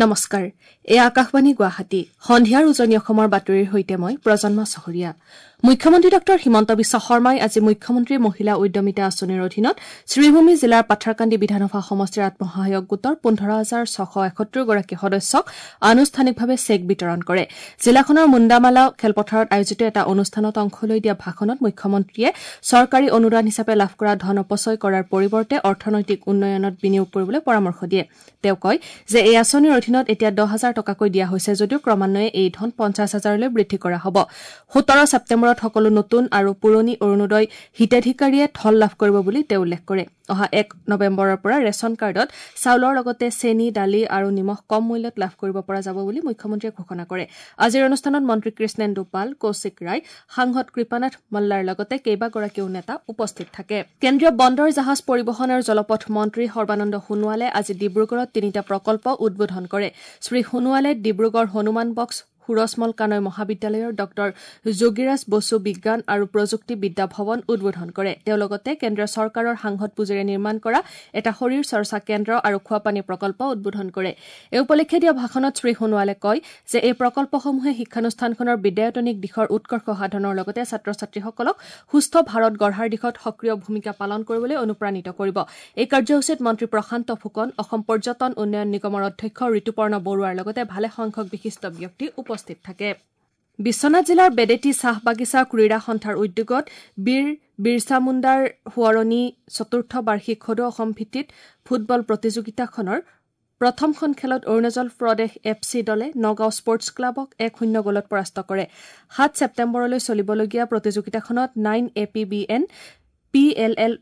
নমস্কাৰ, এয়া আকাশবাণী গুৱাহাটী। সন্ধিয়াৰ উজনি অসমৰ বাতৰিৰ সৈতে মই প্ৰজন্মা চহৰীয়া। মুখ্যমন্ত্ৰী ডঃ হিমন্ত বিশ্ব শৰ্মাই আজি মুখ্যমন্ত্ৰী মহিলা উদ্যমিতা আঁচনিৰ অধীনত শ্ৰীভূমি জিলাৰ পাথাৰকান্দি বিধানসভা সমষ্টিৰ আত্মসহায়ক গোটৰ ১৫,৬৭১ গৰাকী সদস্যক আনুষ্ঠানিকভাৱে চেক বিতৰণ কৰে। জিলাখনৰ মুণ্ডামালা খেলপথাৰত আয়োজিত এটা অনুষ্ঠানত অংশ লৈ দিয়া ভাষণত মুখ্যমন্ত্ৰীয়ে চৰকাৰী অনুদান হিচাপে লাভ কৰা ধন অপচয় কৰাৰ পৰিৱৰ্তে অৰ্থনৈতিক উন্নয়নত বিনিয়োগ কৰিবলৈ পৰামৰ্শ দিয়ে। তেওঁ কয় যে এই আঁচনিৰ অধীনত এতিয়া ১০,০০০ টকাকৈ দিয়া হৈছে যদিও ক্ৰমান্বয়ে এই ধন ৫০,০০০লৈ বৃদ্ধি কৰা হ'ব। ১৭ ছেপ্টেম্বৰত সকলো নতুন আৰু পুৰণি অৰুণোদয় হিতাধিকাৰীয়ে ধন লাভ কৰিব বুলি তেওঁ উল্লেখ কৰে। অহা ১ নৱেম্বৰৰ পৰা ৰেচন কাৰ্ডত চাউলৰ লগতে চেনী, দালি আৰু নিমখ কম মূল্যত লাভ কৰিব পৰা যাব বুলি মুখ্যমন্ত্ৰীয়ে ঘোষণা কৰে। আজিৰ অনুষ্ঠানত মন্ত্ৰী কৃষ্ণেন্দু পাল, কৌশিক ৰায়, সাংসদ কৃপানাথ মল্লাৰ লগতে কেইবাগৰাকীও নেতা উপস্থিত থাকে। কেন্দ্ৰীয় বন্দৰ, জাহাজ পৰিবহণ আৰু জলপথ মন্ত্ৰী সৰ্বানন্দ সোণোৱালে আজি ডিব্ৰুগড়ত তিনিটা প্ৰকল্প উদ্বোধন কৰে। শ্ৰী সোণোৱালে ডিব্ৰুগড় হনুমান বক্স সুৰজমল কানৈ মহাবিদ্যালয়ৰ ডঃ যোগীৰাজ বসু বিজ্ঞান আৰু প্ৰযুক্তি বিদ্যা ভৱন উদ্বোধন কৰে। তেওঁ লগতে কেন্দ্ৰীয় চৰকাৰৰ সাংসদ পুঁজিৰে নিৰ্মাণ কৰা এটা শৰীৰ চৰ্চা কেন্দ্ৰ আৰু খোৱাপানী প্ৰকল্প উদ্বোধন কৰে। এই উপলক্ষে দিয়া ভাষণত শ্ৰী সোণোৱালে কয় যে এই প্ৰকল্পসমূহে শিক্ষানুষ্ঠানখনৰ বিদ্যায়তনিক দিশৰ উৎকৰ্ষ সাধনৰ লগতে ছাত্ৰ ছাত্ৰীসকলক সুস্থ ভাৰত গঢ়াৰ দিশত সক্ৰিয় ভূমিকা পালন কৰিবলৈ অনুপ্ৰাণিত কৰিব। এই কাৰ্যসূচীত মন্ত্ৰী প্ৰশান্ত ফুকন, অসম পৰ্যটন উন্নয়ন নিগমৰ অধ্যক্ষ ঋতুপৰ্ণ বৰুৱাৰ লগতে ভালেসংখ্যক বিশিষ্ট ব্যক্তি উপস্থিত থাকে। বিশ্বনাথ জিলাৰ বেদেতি চাহ বাগিচা ক্ৰীড়া সন্থাৰ উদ্যোগত বীৰ বিৰছা মুণ্ডাৰ সোঁৱৰণী চতুৰ্থ বাৰ্ষিক সদৌ অসম ভিত্তিত ফুটবল প্ৰতিযোগিতাখনৰ প্ৰথমখন খেলত অৰুণাচল প্ৰদেশ এফ চি দলে নগাঁও স্পৰ্টছ ক্লাবক ১-০ গ'লত পৰাস্ত কৰে। ৭ ছেপ্টেম্বৰলৈ চলিবলগীয়া প্ৰতিযোগিতাখনত 9 A P B N, P L L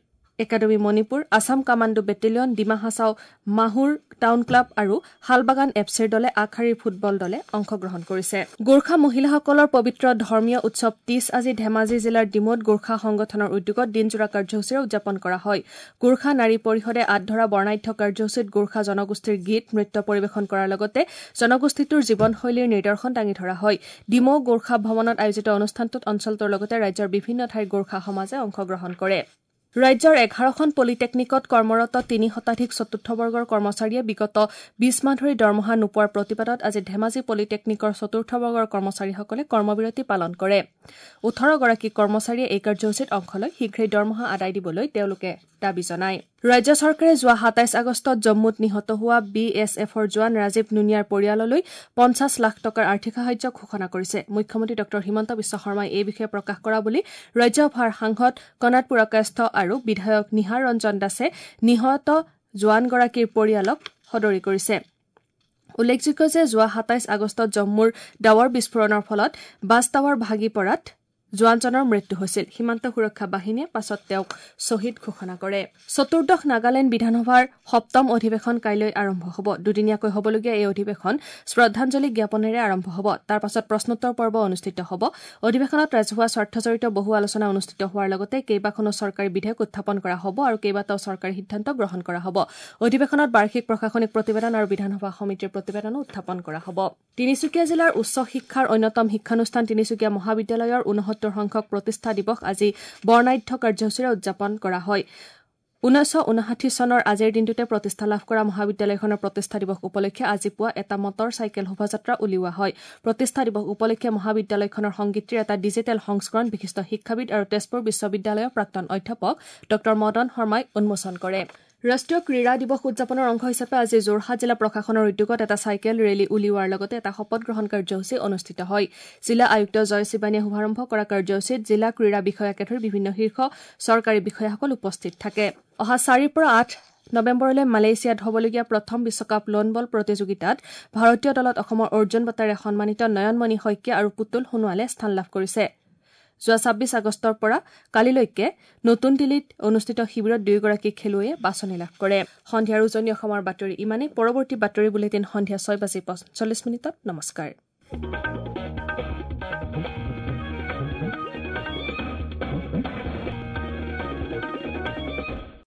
academy Manipur, Assam commando battalion, Dima Hasao Mahur town club আৰু শালবাগান এফ চিৰ দলে আগশাৰীৰ ফুটবল দলে অংশগ্ৰহণ কৰিছে। গোৰ্খা মহিলাসকলৰ পবিত্ৰ ধৰ্মীয় উৎসৱ তীজ আজি ধেমাজি জিলাৰ ডিমৌত গোৰ্খা সংগঠনৰ উদ্যোগত দিনজোৰা কাৰ্যসূচীৰে উদযাপন কৰা হয়। গোৰ্খা নাৰী পৰিষদে আঁত ধৰা বৰ্ণাঢ্য কাৰ্যসূচীত গোৰ্খা জনগোষ্ঠীৰ গীত নৃত্য পৰিৱেশন কৰাৰ লগতে জনগোষ্ঠীটোৰ জীৱনশৈলীৰ নিদৰ্শন দাঙি ধৰা হয়। ডিমৌ গোৰ্খা ভৱনত আয়োজিত অনুষ্ঠানটোত অঞ্চলটোৰ লগতে ৰাজ্যৰ বিভিন্ন ঠাইৰ গোৰ্খা সমাজে অংশগ্ৰহণ কৰে। ৰাজ্যৰ ১১খন পলিটেকনিকত কৰ্মৰত ৩ শতাধিক চতুৰ্থ বৰ্গৰ কৰ্মচাৰীয়ে বিগত ২০ মাহ ধৰি দৰমহা নোপোৱাৰ প্ৰতিবাদত আজি ধেমাজি পলিটেকনিকৰ চতুৰ্থ বৰ্গৰ কৰ্মচাৰীসকলে কৰ্মবিৰতি পালন কৰে। ১৮ গৰাকী কৰ্মচাৰীয়ে এই কাৰ্যসূচীত অংশ লৈ শীঘ্ৰেই দৰমহা আদায় দিবলৈ তেওঁলোকে দাবী জনায়। ৰাজ্য চৰকাৰে যোৱা ২৭ আগষ্টত জম্মুত নিহত হোৱা বি এছ এফৰ জোৱান ৰাজীৱ নুনিয়াৰ পৰিয়াললৈ ৫০ লাখ টকাৰ আৰ্থিক সাহায্য ঘোষণা কৰিছে। মুখ্যমন্ত্ৰী ডঃ হিমন্ত বিশ্ব শৰ্মাই এই বিষয়ে প্ৰকাশ কৰা বুলি ৰাজ্যসভাৰ সাংসদ কণাদ পুৰকায়স্থ আৰু বিধায়ক নিহাৰ ৰঞ্জন দাসে নিহত জোৱানগৰাকীৰ পৰিয়ালক সদৰি কৰিছে। উল্লেখযোগ্য যে যোৱা ২৭ আগষ্টত জম্মুৰ ডাৱৰ বিস্ফোৰণৰ ফলত বাছ টাৱাৰ ভাগি পৰাত জোৱানজনৰ মৃত্যু হৈছিল। সীমান্ত সুৰক্ষা বাহিনীয়ে পাছত তেওঁক শ্বহীদ ঘোষণা কৰে। চতুৰ্দশ নাগালেণ্ড বিধানসভাৰ সপ্তম অধিৱেশন কাইলৈ আৰম্ভ হ'ব। দুদিনীয়াকৈ হ'বলগীয়া এই অধিৱেশন শ্ৰদ্ধাঞ্জলি জ্ঞাপনেৰে আৰম্ভ হ'ব। তাৰ পাছত প্ৰশ্নোত্তৰ পৰ্ব অনুষ্ঠিত হ'ব। অধিৱেশনত ৰাজহুৱা স্বাৰ্থজড়িত বহু আলোচনা অনুষ্ঠিত হোৱাৰ লগতে কেইবাখনো চৰকাৰী বিধেয়ক উত্থাপন কৰা হ'ব আৰু কেইবাটাও চৰকাৰী সিদ্ধান্ত গ্ৰহণ কৰা হ'ব। অধিৱেশনত বাৰ্ষিক প্ৰশাসনিক প্ৰতিবেদন আৰু বিধানসভা সমিতিৰ প্ৰতিবেদনো উত্থাপন কৰা হ'ব। তিনিচুকীয়া জিলাৰ উচ্চ শিক্ষাৰ অন্যতম শিক্ষানুষ্ঠান তিনিচুকীয়া মহাবিদ্যালয়ৰ ৬৯ সংখ্যক প্ৰতিষ্ঠা দিৱস আজি বৰ্ণাঢ্য কাৰ্যসূচীৰে উদযাপন কৰা হয়। ১৯৫৯ চনৰ আজিৰ দিনটোতে প্ৰতিষ্ঠা লাভ কৰা মহাবিদ্যালয়খনৰ প্ৰতিষ্ঠা দিৱস উপলক্ষে আজি পুৱা এটা মটৰ চাইকেল শোভাযাত্ৰা উলিওৱা হয়। প্ৰতিষ্ঠা দিৱস উপলক্ষে মহাবিদ্যালয়খনৰ সংগীতটিৰ এটা ডিজিটেল সংস্কৰণ বিশিষ্ট শিক্ষাবিদ আৰু তেজপুৰ বিশ্ববিদ্যালয়ৰ প্ৰাক্তন অধ্যাপক ডঃ মদন শৰ্মাই উন্মোচন কৰে। ৰাষ্ট্ৰীয় ক্ৰীড়া দিৱস উদযাপনৰ অংশ হিচাপে আজি যোৰহাট জিলা প্ৰশাসনৰ উদ্যোগত এটা চাইকেল ৰেলী উলিওৱাৰ লগতে এটা শপত গ্ৰহণ কাৰ্যসূচী অনুষ্ঠিত হয়। জিলা আয়ুক্ত জয় শিৱানীয়ে শুভাৰম্ভ কৰা কাৰ্যসূচীত জিলা ক্ৰীড়া বিষয়াকে ধৰি বিভিন্ন শীৰ্ষ চৰকাৰী বিষয়াসকল উপস্থিত থাকে। অহা ৪ৰ পৰা ৮ নৱেম্বৰলৈ মালয়েছিয়াত হ'বলগীয়া প্ৰথম বিশ্বকাপ লন বল প্ৰতিযোগিতাত ভাৰতীয় দলত অসমৰ অৰ্জুন বঁটাৰে সন্মানিত নয়নমণি শইকীয়া আৰু পুতুল সোণোৱালে স্থান লাভ কৰিছে। যোৱা ২৬ আগষ্টৰ পৰা কালিলৈকে নতুন দিল্লীত অনুষ্ঠিত শিবিৰত দুয়োগৰাকী খেলুৱৈয়ে বাছনি লাভ কৰে। সন্ধিয়াৰ উজনি অসমৰ বাতৰি ইমানেই। পৰৱৰ্তী বাতৰি বুলেটিন সন্ধিয়া ৬:৪৫। নমস্কাৰ।